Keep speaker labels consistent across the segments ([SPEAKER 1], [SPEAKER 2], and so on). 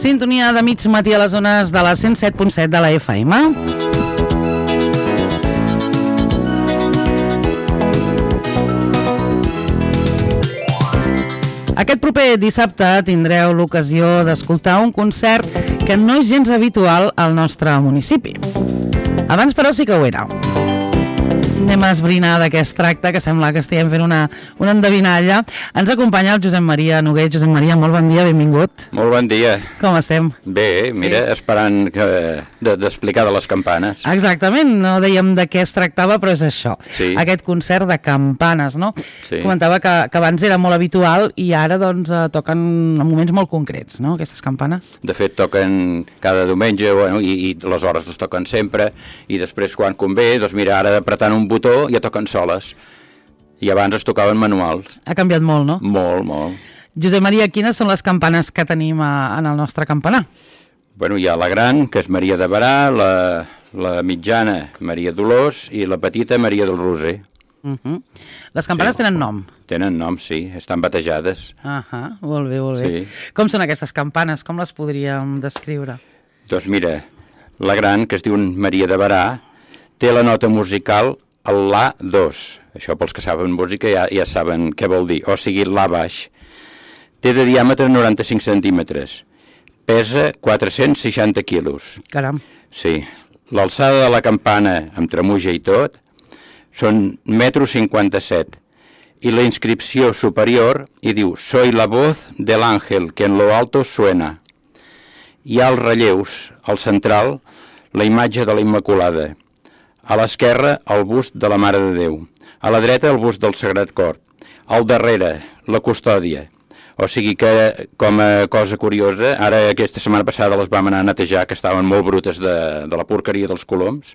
[SPEAKER 1] Sintonia de mig matí a les zones de la 107.7 de la FM. Aquest proper dissabte tindreu l'ocasió d'escoltar un concert que no és gens habitual al nostre municipi. Abans, però, sí que ho era. Anem a esbrinar de què es tracta, que sembla que estiguem fent una endevinalla. Ens acompanya el Josep Maria Noguer. Josep Maria, molt bon dia, benvingut.
[SPEAKER 2] Molt bon dia.
[SPEAKER 1] Com estem?
[SPEAKER 2] Bé, mira, sí. Esperant d'explicar de les campanes.
[SPEAKER 1] Exactament, no dèiem de què es tractava, però és això. Sí. Aquest concert de campanes, no? Sí. Comentava que abans era molt habitual i ara doncs toquen en moments molt concrets, no?, aquestes campanes.
[SPEAKER 2] De fet, toquen cada diumenge, bueno, i les hores les toquen sempre, i després quan convé, doncs mira, ara apretant un botó ja toquen soles. I abans es tocaven manuals.
[SPEAKER 1] Ha canviat molt, no?
[SPEAKER 2] Molt, molt.
[SPEAKER 1] Josep Maria, quines són les campanes que tenim en el nostre campanar?
[SPEAKER 2] Bueno, hi ha la gran, que és Maria de Barà, la mitjana, Maria Dolors, i la petita, Maria del Roser.
[SPEAKER 1] Les campanes tenen nom?
[SPEAKER 2] Tenen nom, sí, estan batejades.
[SPEAKER 1] Molt bé, molt bé. Sí. Com són aquestes campanes? Com les podríem descriure?
[SPEAKER 2] Doncs mira, la gran, que es diu Maria de Barà, té la nota musical el La2. Això pels que saben música ja saben què vol dir. O sigui, La baix. Té de diàmetre 95 centímetres. Pesa 460 quilos.
[SPEAKER 1] Caram.
[SPEAKER 2] Sí. L'alçada de la campana, amb tremuja i tot, són 1,57 m. I la inscripció superior hi diu «Soy la voz del ángel que en lo alto suena». Hi ha els relleus, al central, la imatge de la Immaculada. A l'esquerra, el bust de la Mare de Déu. A la dreta, el bust del Sagrat Cor. Al darrere, la custòdia. O sigui que, com a cosa curiosa, ara aquesta setmana passada les vam anar a netejar, que estaven molt brutes de la porqueria dels coloms,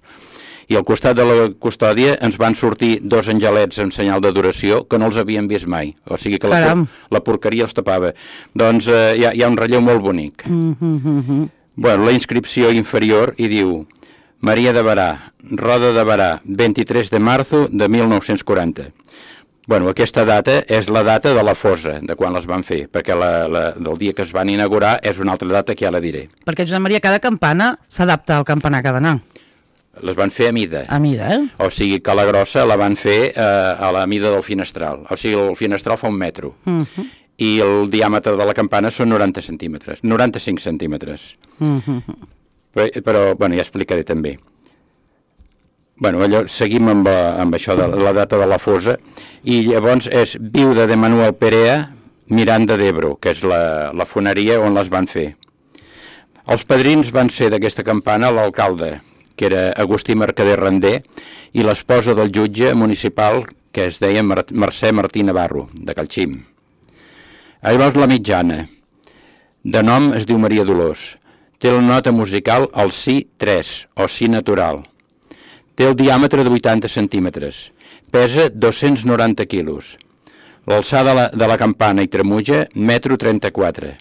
[SPEAKER 2] i al costat de la custòdia ens van sortir dos angelets en senyal d'adoració que no els havien vist mai. O sigui que la porqueria els tapava. Doncs hi ha un relleu molt bonic. Bueno, la inscripció inferior hi diu Maria de Barà, Roda de Barà, 23 de marzo de 1940. Bueno, aquesta data és la data de la fosa, de quan les van fer, perquè del dia que es van inaugurar és una altra data que ja la diré.
[SPEAKER 1] Perquè, Josep Maria, cada campana s'adapta al campanar que ha d'anar.
[SPEAKER 2] Les van fer a mida.
[SPEAKER 1] A mida, eh?
[SPEAKER 2] O sigui que la grossa la van fer a la mida del finestral. O sigui, el finestral fa 1 metro. I el diàmetre de la campana són 90 centímetres. 95 centímetres. Però, bueno, ja explicaré també. Bueno, seguim amb això de la data de la fosa, i llavors és viuda de Manuel Perea, Miranda d'Ebro, que és la foneria on les van fer. Els padrins van ser d'aquesta campana l'alcalde, que era Agustí Mercader Randé, i l'esposa del jutge municipal, que es deia Mercè Martí Navarro, de Calxim. Llavors la mitjana, de nom es diu Maria Dolors. Té la nota musical al Si3, o Si natural. Té el diàmetre de 80 centímetres. Pesa 290 quilos. L'alçada de la campana i tremuja, 1,34 m.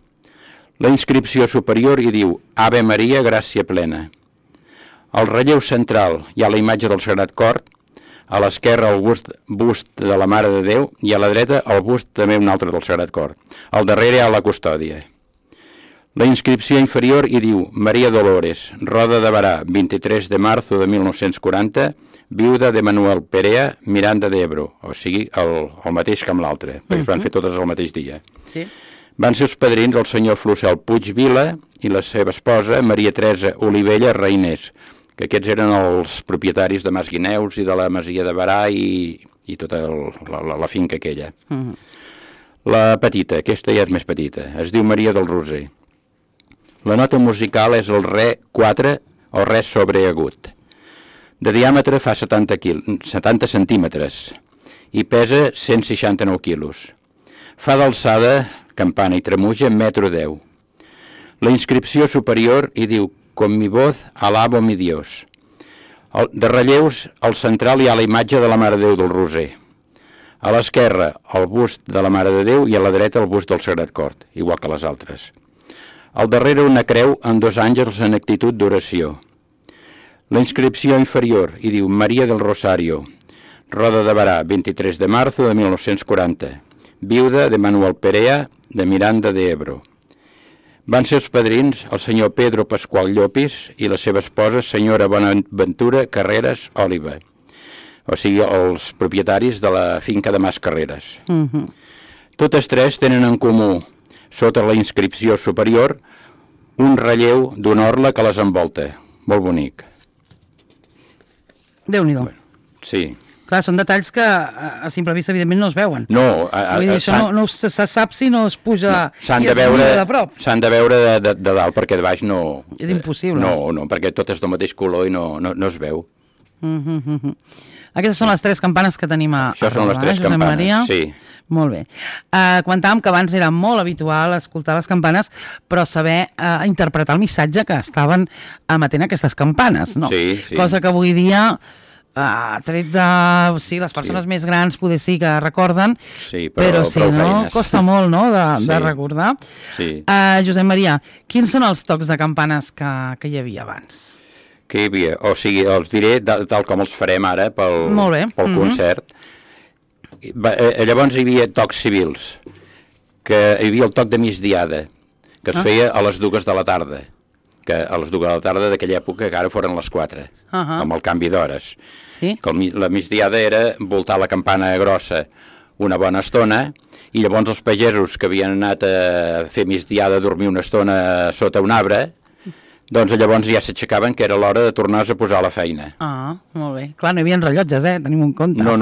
[SPEAKER 2] La inscripció superior hi diu Ave Maria, gràcia plena. Al relleu central hi ha la imatge del Sagrat Cor, a l'esquerra el bust de la Mare de Déu i a la dreta el bust també un altre del Sagrat Cor. Al darrere hi ha la custòdia. La inscripció inferior hi diu Maria Dolores, Roda de Barà, 23 de marzo de 1940, viuda de Manuel Perea, Miranda d'Ebro, o sigui, el mateix que amb l'altre, perquè es van fer totes el mateix dia.
[SPEAKER 1] Sí.
[SPEAKER 2] Van ser els padrins el senyor Flocel Puig Vila i la seva esposa, Maria Teresa Olivella Reinés, que aquests eren els propietaris de Mas Guineus i de la Masia de Barà i tota la finca aquella. La petita, aquesta ja és més petita, es diu Maria del Roser. La nota musical és el Re 4 o Re sobreagut. De diàmetre fa 70 centímetres i pesa 169 quilos. Fa d'alçada, campana i tremuja, 1,10 m. La inscripció superior hi diu Con mi voz alabo mi Dios. De relleus, al central hi ha la imatge de la Mare de Déu del Roser. A l'esquerra, el bust de la Mare de Déu i a la dreta el bust del Sagrat Cor, igual que les altres. Al darrere una creu amb 2 àngels en actitud d'oració. La inscripció inferior hi diu Maria del Rosario, Roda de Barà, 23 de marzo de 1940, viuda de Manuel Perea de Miranda d'Ebro. Van ser els padrins el senyor Pedro Pasqual Llopis i la seva esposa, senyora Bonaventura Carreras Oliva. O sigui, els propietaris de la finca de Mas Carreras. Totes tres tenen en comú, sota la inscripció superior, un relleu d'un orla que les envolta. Molt bonic.
[SPEAKER 1] Déu-n'hi-do.
[SPEAKER 2] Sí.
[SPEAKER 1] Clar, són detalls que a simple vista, evidentment, no es veuen.
[SPEAKER 2] No,
[SPEAKER 1] vull dir, això no se sap si no es puja
[SPEAKER 2] s'han
[SPEAKER 1] i
[SPEAKER 2] de
[SPEAKER 1] es mira de prop.
[SPEAKER 2] S'han de veure de dalt, perquè de baix no...
[SPEAKER 1] És impossible.
[SPEAKER 2] No, perquè tot és del mateix color i no es veu.
[SPEAKER 1] Aquestes són les tres campanes que tenim a
[SPEAKER 2] Això són les tres campanes,
[SPEAKER 1] Maria.
[SPEAKER 2] sí.
[SPEAKER 1] Molt bé. Comentàvem que abans era molt habitual escoltar les campanes, però saber interpretar el missatge que estaven emetent aquestes campanes, no?
[SPEAKER 2] Sí, sí.
[SPEAKER 1] Cosa que avui dia... tret de... Sí, les persones més grans poder sí que recorden,
[SPEAKER 2] sí,
[SPEAKER 1] però sí, no?
[SPEAKER 2] feines.
[SPEAKER 1] Costa molt, no?, de recordar.
[SPEAKER 2] Sí.
[SPEAKER 1] Josep Maria, quins són els tocs de campanes que hi havia abans?
[SPEAKER 2] Que hi havia? O sigui, els diré tal com els farem ara pel concert. Llavors hi havia tocs civils, que hi havia el toc de migdiada, que es feia a les 2 de la tarda, que a les 2 de la tarda d'aquella època que ara foren les 4, amb el canvi d'hores.
[SPEAKER 1] Sí?
[SPEAKER 2] La migdiada era voltar la campana grossa una bona estona, i llavors els pagesos que havien anat a fer migdiada a dormir una estona sota un arbre, doncs llavors ja s'aixecaven que era l'hora de tornar-se a posar a la feina.
[SPEAKER 1] Molt bé. Clar, no hi havia rellotges, tenim en compte.
[SPEAKER 2] No.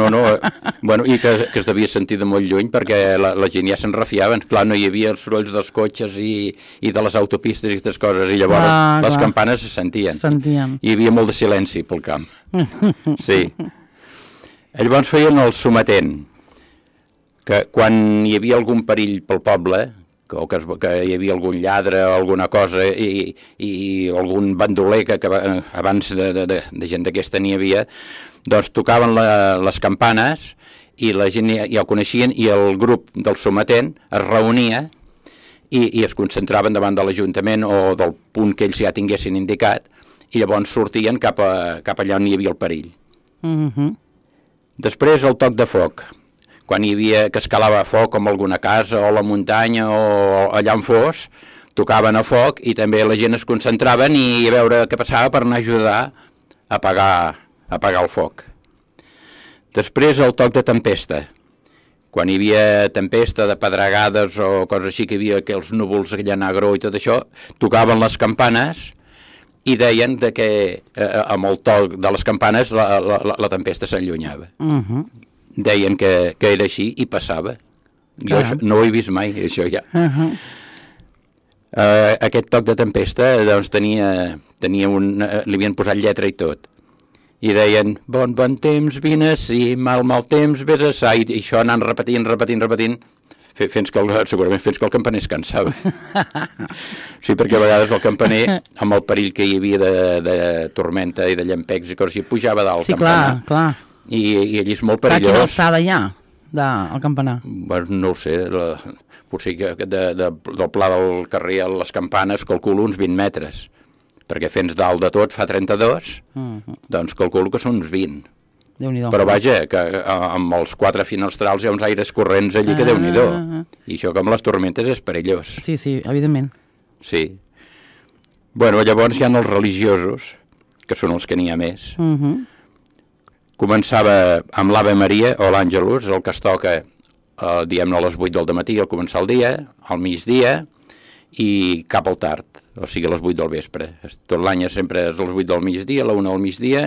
[SPEAKER 2] Bueno, i que es devia sentir de molt lluny perquè la gent ja se'n refiaven. Clar, no hi havia els sorolls dels cotxes i de les autopistes i aquestes coses, i llavors les campanes se sentien. Hi havia molt de silenci pel camp. Sí. Llavors feien el sometent, que quan hi havia algun perill pel poble, o que hi havia algun lladre o alguna cosa i algun bandoler que abans de gent d'aquesta n'hi havia, doncs tocaven les campanes i la gent ja ho coneixien i el grup del sometent es reunia i es concentraven davant de l'Ajuntament o del punt que ells ja tinguessin indicat i llavors sortien cap allà on hi havia el perill. Després el toc de foc. Quan hi havia que escalava foc com alguna casa o la muntanya o allà on fos, tocaven a foc i també la gent es concentraven i a veure què passava per anar a ajudar a apagar el foc. Després el toc de tempesta. Quan hi havia tempesta de pedregades o coses així, que hi havia aquells núvols allà negre i tot això, tocaven les campanes i deien que amb el toc de les campanes la tempesta s'allunyava. Deien que era així i passava. Jo no ho he vist mai, això ja. Aquest toc de tempesta doncs tenia li havien posat lletra i tot. I deien, bon temps, vine ací, mal temps, vés a sa, i això anant repetint, segurament fins que el campaner es cansava. Sí, perquè a vegades el campaner, amb el perill que hi havia de tormenta i de llampecs i coses així, pujava dalt el campanar. Sí, clar. I allí és molt perillós.
[SPEAKER 1] Quina alçada hi ha del campanar?
[SPEAKER 2] No ho sé, potser que del pla del carrer a les campanes calculo uns 20 metres, perquè fent dalt de tot fa 32, doncs calculo que són uns 20. Però vaja, que amb els 4 finestrals hi ha uns aires corrents allí que Déu-n'hi-do. I això com les tormentes és perillós.
[SPEAKER 1] Sí, evidentment.
[SPEAKER 2] Sí. Bueno, llavors hi ha els religiosos, que són els que n'hi ha més. Començava amb l'Ave Maria o l'Àngelus, el que es toca, diguem-ne, a les 8 del matí al començar el dia, al migdia i cap al tard, o sigui a les 8 del vespre. Tot l'any sempre és a les 8 del migdia, a la 1 del migdia,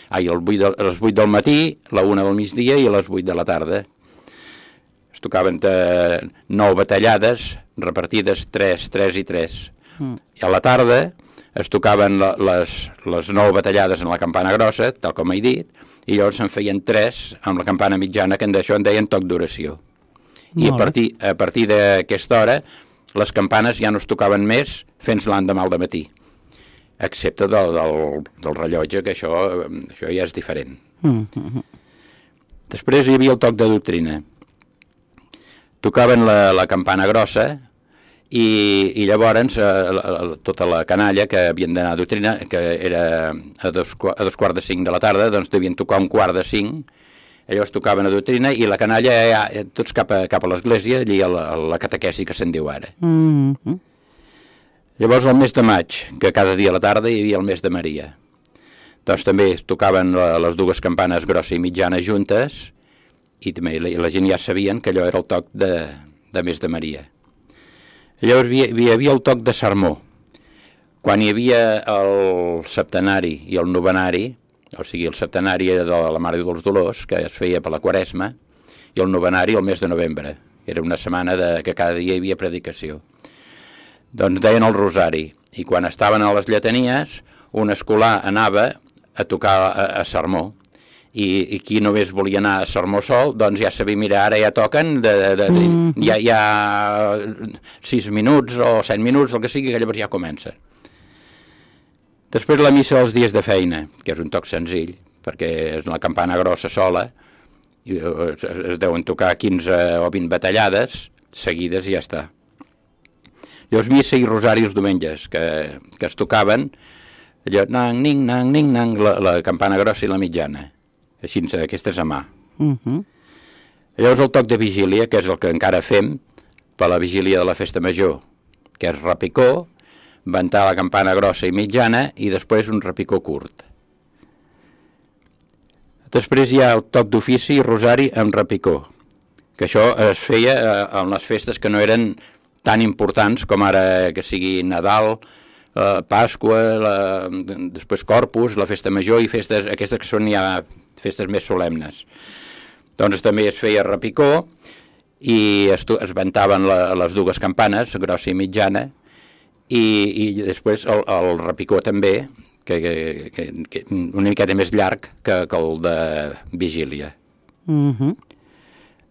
[SPEAKER 2] a les 8 del matí, a la 1 del migdia i a les 8 de la tarda. Es tocaven 9 batallades repartides 3, 3 i 3. I a la tarda es tocaven les 9 batallades en la campana grossa, tal com he dit, i llavors se'n feien 3 amb la campana mitjana, que d'això en deien toc d'oració. I a partir d'aquesta hora, les campanes ja no es tocaven més fins l'endemà al matí, excepte del rellotge, que això ja és diferent. Després hi havia el toc de doctrina. Tocaven la campana grossa, i llavors tota la canalla que havien d'anar a doctrina, que era a 2:45 de la tarda, doncs devien tocar 1:45, llavors tocaven a doctrina i la canalla tots cap a l'església, allí a la catequesi que se'n diu ara. Llavors, el mes de maig, que cada dia a la tarda hi havia el mes de Maria. Doncs també tocaven les dues campanes grossa i mitjana juntes i també la gent ja sabien que allò era el toc de mes de Maria. Llavors hi havia el toc de sermó. Quan hi havia el septenari i el novenari, o sigui, el septenari de la Mare dels Dolors, que es feia per la Quaresma, i el novenari el mes de novembre. Era una setmana que cada dia hi havia predicació. Doncs deien el rosari, i quan estaven a les lletanies, un escolar anava a tocar a sermó, i qui només volia anar a sermó sol, doncs ja sabia, mira, ara ja toquen, hi ha 6 minuts o 7 minuts, el que sigui, que llavors ja comença. Després la missa dels dies de feina, que és un toc senzill, perquè és una campana grossa sola, i es deuen tocar 15 o 20 batallades seguides i ja està. Llavors missa i rosari els diumenges, que es tocaven, allò, nang, ning, nang, ning, nang, la campana grossa i la mitjana. Així, aquestes a mà. Llavors el toc de vigília, que és el que encara fem per la vigília de la festa major, que és repicó, ventar la campana grossa i mitjana i després un repicó curt. Després hi ha el toc d'ofici i rosari amb repicó, que això es feia en les festes que no eren tan importants com ara que sigui Nadal, Pasqua, després Corpus, la festa major i festes, aquestes que són ja festes més solemnes. Doncs també es feia repicó i es ventaven les dues campanes, grossa i mitjana, i després el repicó també, que una miqueta més llarg que el de vigília.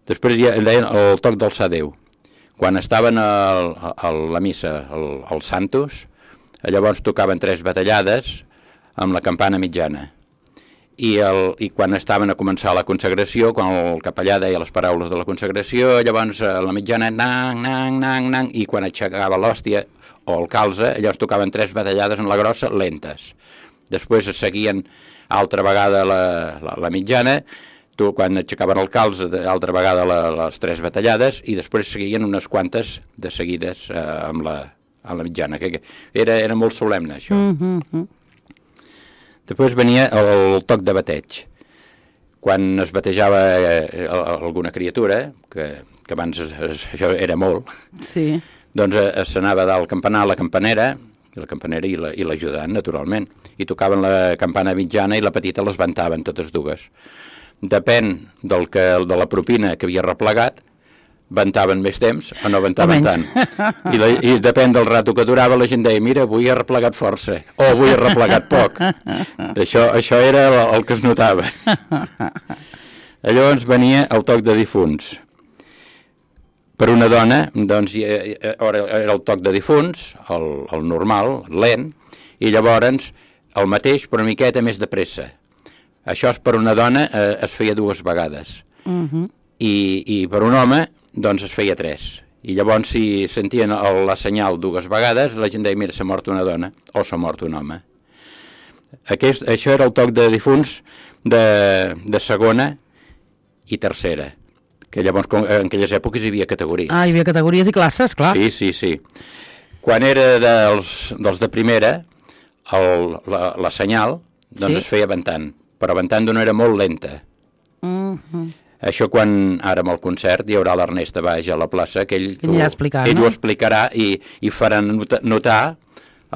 [SPEAKER 2] Després hi ha el toc del Sadeu. Quan estaven a la missa, als Santos, llavors tocaven 3 batallades amb la campana mitjana. I quan estaven a començar la consagració, quan el capellà deia les paraules de la consagració, llavors la mitjana, nang, nang, nang, nang, i quan aixecava l'hòstia o el calze, llavors tocaven 3 batallades en la grossa lentes. Després es seguien altra vegada la mitjana, quan aixecaven el calze, altra vegada les 3 batallades, i després seguien unes quantes de seguides amb la mitjana, que era molt solemne, això. Després venia el toc de bateig. Quan es batejava alguna criatura, que abans això era molt,
[SPEAKER 1] sí.
[SPEAKER 2] Doncs s'anava dalt al campanar, la campanera i l'ajudant, naturalment, i tocaven la campana mitjana i la petita les ventaven totes dues. Depèn de la propina que havia replegat, ventaven més temps o no ventaven tant. I depèn del rato que durava, la gent deia, mira, avui he replegat força, o avui he replegat poc. Això era el que es notava. Llavors venia el toc de difunts. Per una dona, doncs, era el toc de difunts, el normal, lent, i llavors el mateix, però una miqueta més de pressa. Això per una dona es feia 2 vegades. I per un home, doncs es feia 3. I llavors, si sentien la senyal 2 vegades, la gent deia, mira, s'ha mort una dona o s'ha mort un home. Això era el toc de difunts de segona i tercera, que llavors en aquelles èpoques hi havia categories.
[SPEAKER 1] Hi havia categories i classes, clar.
[SPEAKER 2] Sí. Quan era dels de primera, la senyal, doncs es feia ventant, però ventant d'una era molt lenta. Això quan ara amb el concert hi haurà l'Ernest a baix a la plaça, que ell ho explicarà i farà notar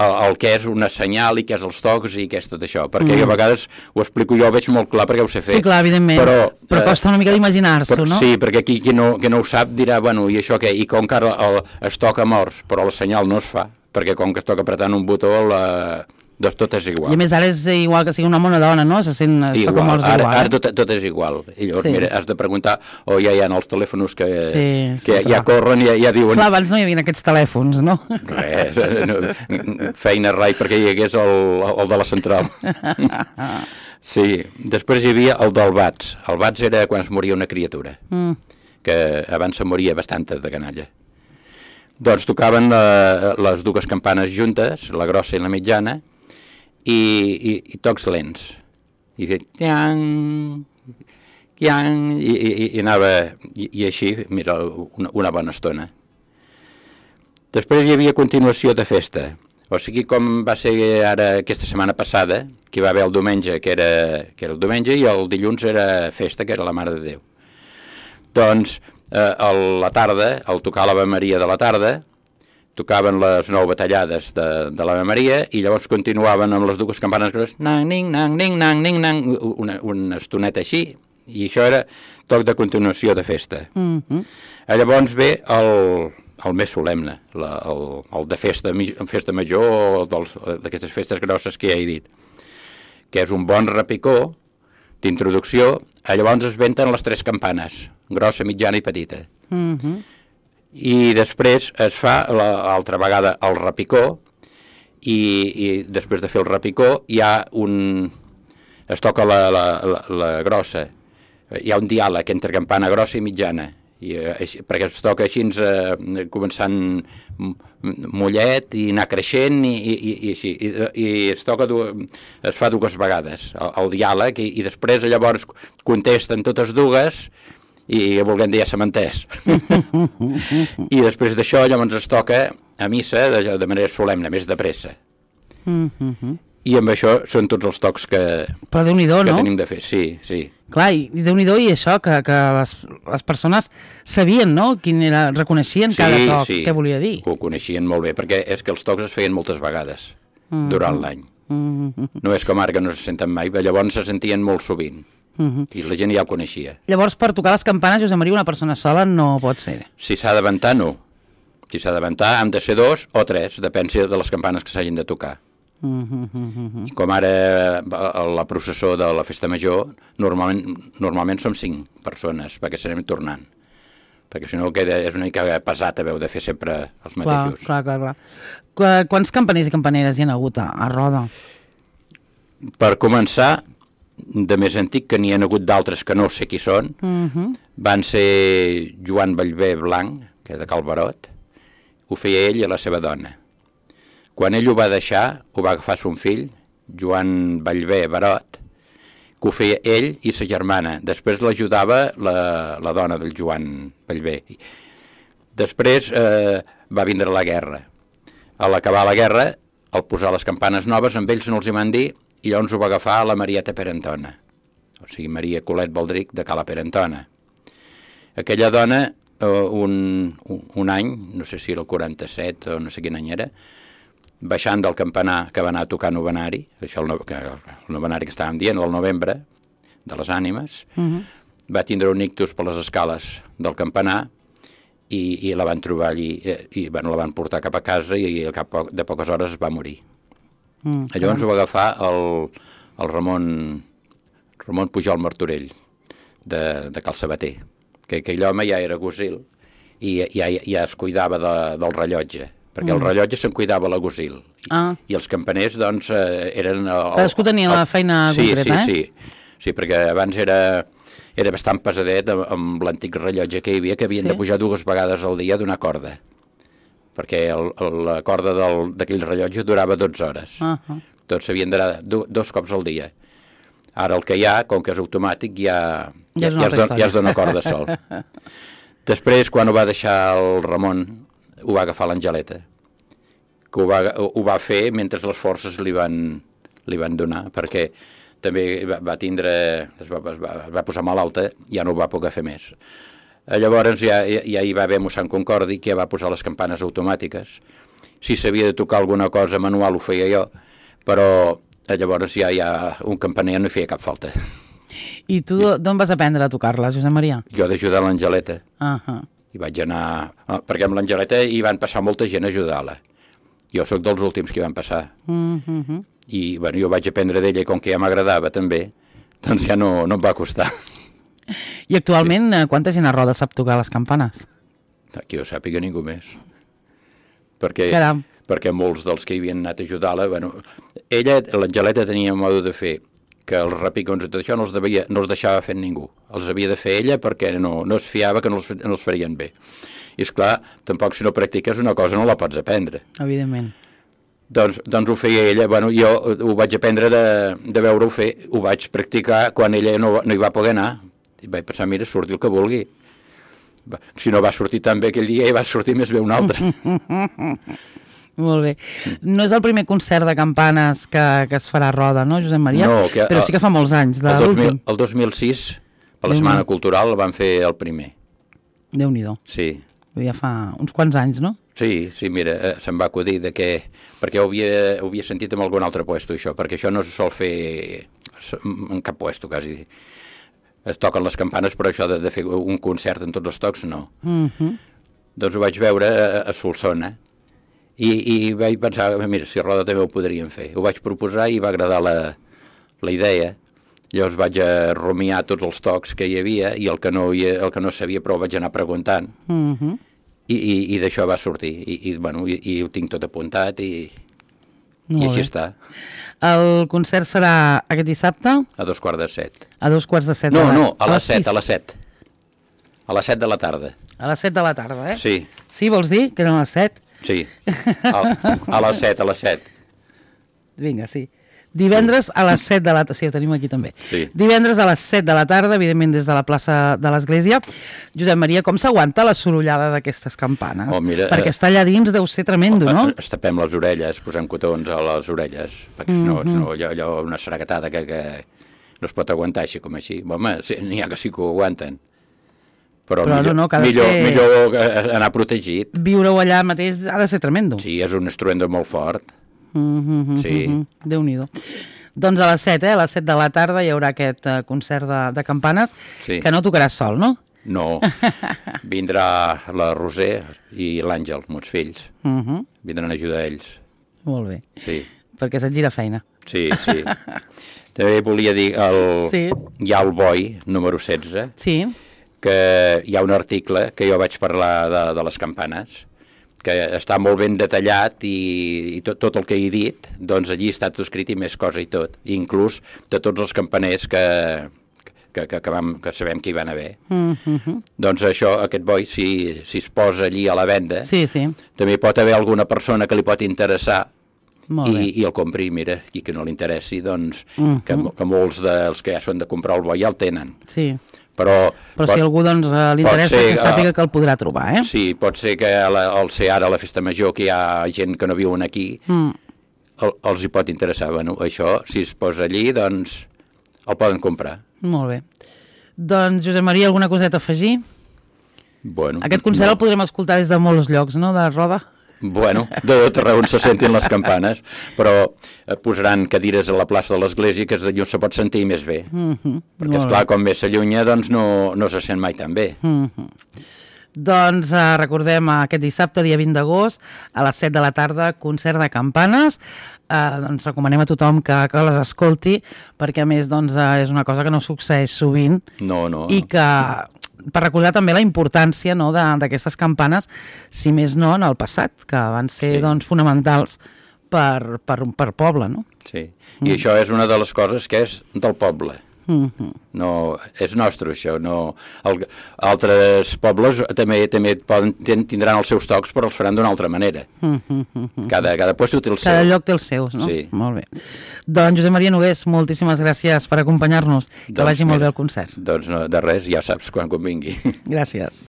[SPEAKER 2] el que és una senyal i què és els tocs i què és tot això, perquè a vegades ho explico jo, ho veig molt clar perquè ho sé fer.
[SPEAKER 1] Sí, clar, evidentment, però costa una mica d'imaginar-s'ho, no?
[SPEAKER 2] Sí, perquè aquí qui no ho sap dirà, bueno, i això què? I com que ara es toca morts, però la senyal no es fa, perquè com que es toca apretant un botó, doncs tot és igual.
[SPEAKER 1] I a més ara és igual que sigui un home o una dona, no? Es toca morts igual.
[SPEAKER 2] Ara tot és igual. I llavors, mira, has de preguntar, o ja hi ha els telèfons que ja corren i ja diuen...
[SPEAKER 1] Clar, abans no hi havia aquests telèfons, no?
[SPEAKER 2] Res, feina rai perquè hi hagués el de la central. Sí, després hi havia el del bats. El bats era quan es moria una criatura, que abans se moria bastanta de canalla. Doncs tocaven les 2 campanes juntes, la grossa i la mitjana, i tocs lents. I feia tiang, tiang, i anava, i així, mira, una bona estona. Després hi havia continuació de festa. O sigui, com va ser ara aquesta setmana passada, que hi va haver el diumenge, que era el diumenge, i el dilluns era festa, que era la Mare de Déu. Doncs a la tarda, al tocar l'Ave Maria de la tarda, tocaven les 9 batallades de l'Ave Maria i llavors continuaven amb les dues campanes grosses, nang, ning, nang, ning, nang, ning, nang, una estoneta així, i això era toc de continuació de festa. Llavors ve el més solemne, el de festa major o d'aquestes festes grosses que ja he dit, que és un bon repicó d'introducció. Llavors es venten les 3 campanes, grossa, mitjana i petita. I després es fa l'altra vegada el repicó i després de fer el repicó es toca la grossa. Hi ha un diàleg entre campana grossa i mitjana, perquè es toca així començant mollet i anar creixent i així, i es fa 2 vegades el diàleg i després llavors contesten totes dues i volguem dir ja s'ha entès. I després d'això llavors es toca a missa de manera solemne, més de pressa. I amb això són tots els tocs que tenim de fer, sí.
[SPEAKER 1] Clar, i Déu-n'hi-do, i això, que les persones sabien, no?, reconeixien cada toc, què volia dir.
[SPEAKER 2] Ho coneixien molt bé, perquè és que els tocs es feien moltes vegades durant l'any. No és com ara que no se senten mai, llavors se sentien molt sovint. I la gent ja ho coneixia.
[SPEAKER 1] Llavors, per tocar les campanes, Josep Maria, una persona sola no pot ser.
[SPEAKER 2] Si s'ha de ventar, no. Si s'ha de ventar, han de ser 2 o 3, depèn de les campanes que s'hagin de tocar. I com ara la processó de la festa major, normalment som 5 persones, perquè serem tornant. Perquè si no és una mica pesat haver de fer sempre els mateixos.
[SPEAKER 1] Clar. Quants campaners i campaneres hi ha hagut a Roda?
[SPEAKER 2] Per començar, de més antic, que n'hi ha hagut d'altres que no sé qui són, van ser Joan Ballbé Blanc, que és de Cal Barot, ho feia ell i la seva dona. Quan ell ho va deixar, ho va agafar son fill, Joan Ballbé Barot, que ho feia ell i sa germana. Després l'ajudava la dona del Joan Ballbé. Després va vindre la guerra. A l'acabar la guerra, al posar les campanes noves, amb ells no els hi van dir, i llavors ho va agafar la Marieta Perentona, o sigui, Maria Colet Baldric de Cala Perentona. Aquella dona, un any, no sé si era el 47 o no sé quin any era, baixant del campanar que va anar a tocar novenari, això el novenari que estàvem dient, el novembre, de les ànimes, va tindre un ictus per les escales del campanar i la van trobar allí, i la van portar cap a casa i al cap de poques hores va morir. Llavors ho va agafar el Ramon Pujol Martorell, de Cal Sabater, que aquell home ja era gosil i ja es cuidava del rellotge, perquè el rellotge se'n cuidava la gosil. I els campaners, doncs, eren...
[SPEAKER 1] Cadascú tenia la feina concreta,
[SPEAKER 2] Sí, perquè abans era bastant pesadet amb l'antic rellotge que hi havia, que havien de pujar 2 vegades al dia d'una corda, perquè la corda d'aquell rellotge durava 12 hores. Tots s'havien d'anar 2 cops al dia. Ara el que hi ha, com que és automàtic, ja es dona corda sol. Després, quan ho va deixar el Ramon, ho va agafar l'Angeleta, que ho va fer mentre les forces li van donar, perquè també va tindre, es va posar malalta, ja no ho va poder fer més. Llavors ja hi va haver mossèn Concordi, que ja va posar les campanes automàtiques. Si s'havia de tocar alguna cosa manual ho feia jo, però llavors ja un campaner no hi feia cap falta.
[SPEAKER 1] I tu d'on vas aprendre a tocar-les, Josep Maria?
[SPEAKER 2] Jo d'ajudar l'Angeleta. I vaig anar... Perquè amb l'Angeleta hi van passar molta gent a ajudar-la. Jo sóc dels últims que hi van passar. I jo vaig aprendre d'ella, i com que ja m'agradava també, doncs ja no em va costar.
[SPEAKER 1] I actualment quanta gent a Roda sap tocar les campanes?
[SPEAKER 2] Que jo sàpiga ningú més. Perquè molts dels que hi havien anat a ajudar-la... Ella, l'Angeleta, tenia un modo de fer que els repicons i tot això no els deixava fer ningú. Els havia de fer ella perquè no es fiava que no els farien bé. I esclar, tampoc si no practiques una cosa no la pots aprendre.
[SPEAKER 1] Evidentment.
[SPEAKER 2] Doncs ho feia ella. Jo ho vaig aprendre de veure-ho fer. Ho vaig practicar quan ella no hi va poder anar. I vaig pensar, mira, surti el que vulgui. si no va sortir tan bé aquell dia, ja va sortir més bé un altre.
[SPEAKER 1] Molt bé. No és el primer concert de campanes que es farà a Roda, no, Josep Maria?
[SPEAKER 2] No,
[SPEAKER 1] però sí que fa molts anys, de l'últim.
[SPEAKER 2] El 2006, per la Setmana Cultural, van fer el primer.
[SPEAKER 1] Déu-n'hi-do.
[SPEAKER 2] Sí.
[SPEAKER 1] Ja fa uns quants anys, no?
[SPEAKER 2] Sí, mira, se'm va acudir de que... Perquè ho havia sentit en algun altre puesto, això, perquè això no se sol fer en cap puesto, quasi. Es toquen les campanes, però això de fer un concert en tots els tocs, no. Doncs ho vaig veure a Solsona, i vaig pensar, mira, si a Roda també ho podríem fer. Ho vaig proposar i va agradar la idea. Llavors vaig rumiar tots els tocs que hi havia i el que no sabia, però ho vaig anar preguntant. I d'això va sortir. I ho tinc tot apuntat i així està.
[SPEAKER 1] El concert serà aquest dissabte?
[SPEAKER 2] A 2:15.
[SPEAKER 1] A 2:15.
[SPEAKER 2] No, a les 7, a les 7. A les 7 de la tarda.
[SPEAKER 1] A les 7 de la tarda, eh?
[SPEAKER 2] Sí.
[SPEAKER 1] Sí, vols dir que eren a les 7?
[SPEAKER 2] Sí, a les 7, a les 7.
[SPEAKER 1] Vinga, sí. Divendres a les 7 de la tarda, sí, ho tenim aquí també.
[SPEAKER 2] Sí.
[SPEAKER 1] Divendres a les 7 de la tarda, evidentment des de la plaça de l'Església. Josep Maria, com s'aguanta la sorollada d'aquestes campanes?
[SPEAKER 2] Oh, mira,
[SPEAKER 1] perquè estar allà dins deu ser tremendo, no?
[SPEAKER 2] Es tapem les orelles, posem cotons a les orelles, perquè si no, allò una saracatada que no es pot aguantar així com així. Home, n'hi ha que sí que ho aguanten. Però millor anar protegit.
[SPEAKER 1] Viure-ho allà mateix ha de ser tremendo.
[SPEAKER 2] Sí, és un estruendo molt fort. Sí.
[SPEAKER 1] Déu-n'hi-do. Doncs a les 7, a les 7 de la tarda hi haurà aquest concert de campanes, que no tocaràs sol, no?
[SPEAKER 2] No, vindrà la Roser i l'Àngel, meus fills. Vindran a ajudar ells.
[SPEAKER 1] Molt bé.
[SPEAKER 2] Sí.
[SPEAKER 1] Perquè se't gira feina.
[SPEAKER 2] Sí. També volia dir, hi ha el Boi, número 16, que hi ha un article que jo vaig parlar de les campanes, que està molt ben detallat i tot el que he dit, doncs allí està tot escrit i més cosa i tot, inclús de tots els campaners que sabem que hi van haver. Doncs això, aquest Boi, si es posa allí a la venda, també pot haver alguna persona que li pot interessar i el compri, mira, i que no li interessi, doncs que molts dels que ja són de comprar el Boi ja el tenen.
[SPEAKER 1] Sí. Però si algú li interessa, que sàpiga que el podrà trobar, eh?
[SPEAKER 2] Sí, pot ser que al ser ara la festa major, que hi ha gent que no viuen aquí, els hi pot interessar. Bueno, això, si es posa allí, doncs el poden comprar.
[SPEAKER 1] Molt bé. Doncs, Josep Maria, alguna coseta a afegir?
[SPEAKER 2] Bueno,
[SPEAKER 1] aquest concert el podrem escoltar des de molts llocs, no?, de Roda?
[SPEAKER 2] Bueno, de tot arreu on se sentin les campanes, però posaran cadires a la plaça de l'Església, que és d'allò se pot sentir més bé. Perquè, esclar, com més s'allunya, doncs no se sent mai tan bé.
[SPEAKER 1] Doncs recordem aquest dissabte, dia 20 d'agost, a les 7 de la tarda, concert de campanes. Doncs recomanem a tothom que les escolti, perquè a més és una cosa que no succeeix sovint.
[SPEAKER 2] No.
[SPEAKER 1] I que, per recordar també la importància d'aquestes campanes, si més no en el passat, que van ser fonamentals per poble, no?
[SPEAKER 2] Sí, i això és una de les coses que és del poble. No, és nostre això, no. Altres pobles també tindran els seus tocs, però els faran d'una altra manera. Cada lloc té els seus.
[SPEAKER 1] Cada lloc té els seus, no?
[SPEAKER 2] Sí.
[SPEAKER 1] Molt bé. Doncs Josep Maria Nogués, moltíssimes gràcies per acompanyar-nos. Que vagi molt bé el concert.
[SPEAKER 2] Doncs de res, ja saps quan convingui.
[SPEAKER 1] Gràcies.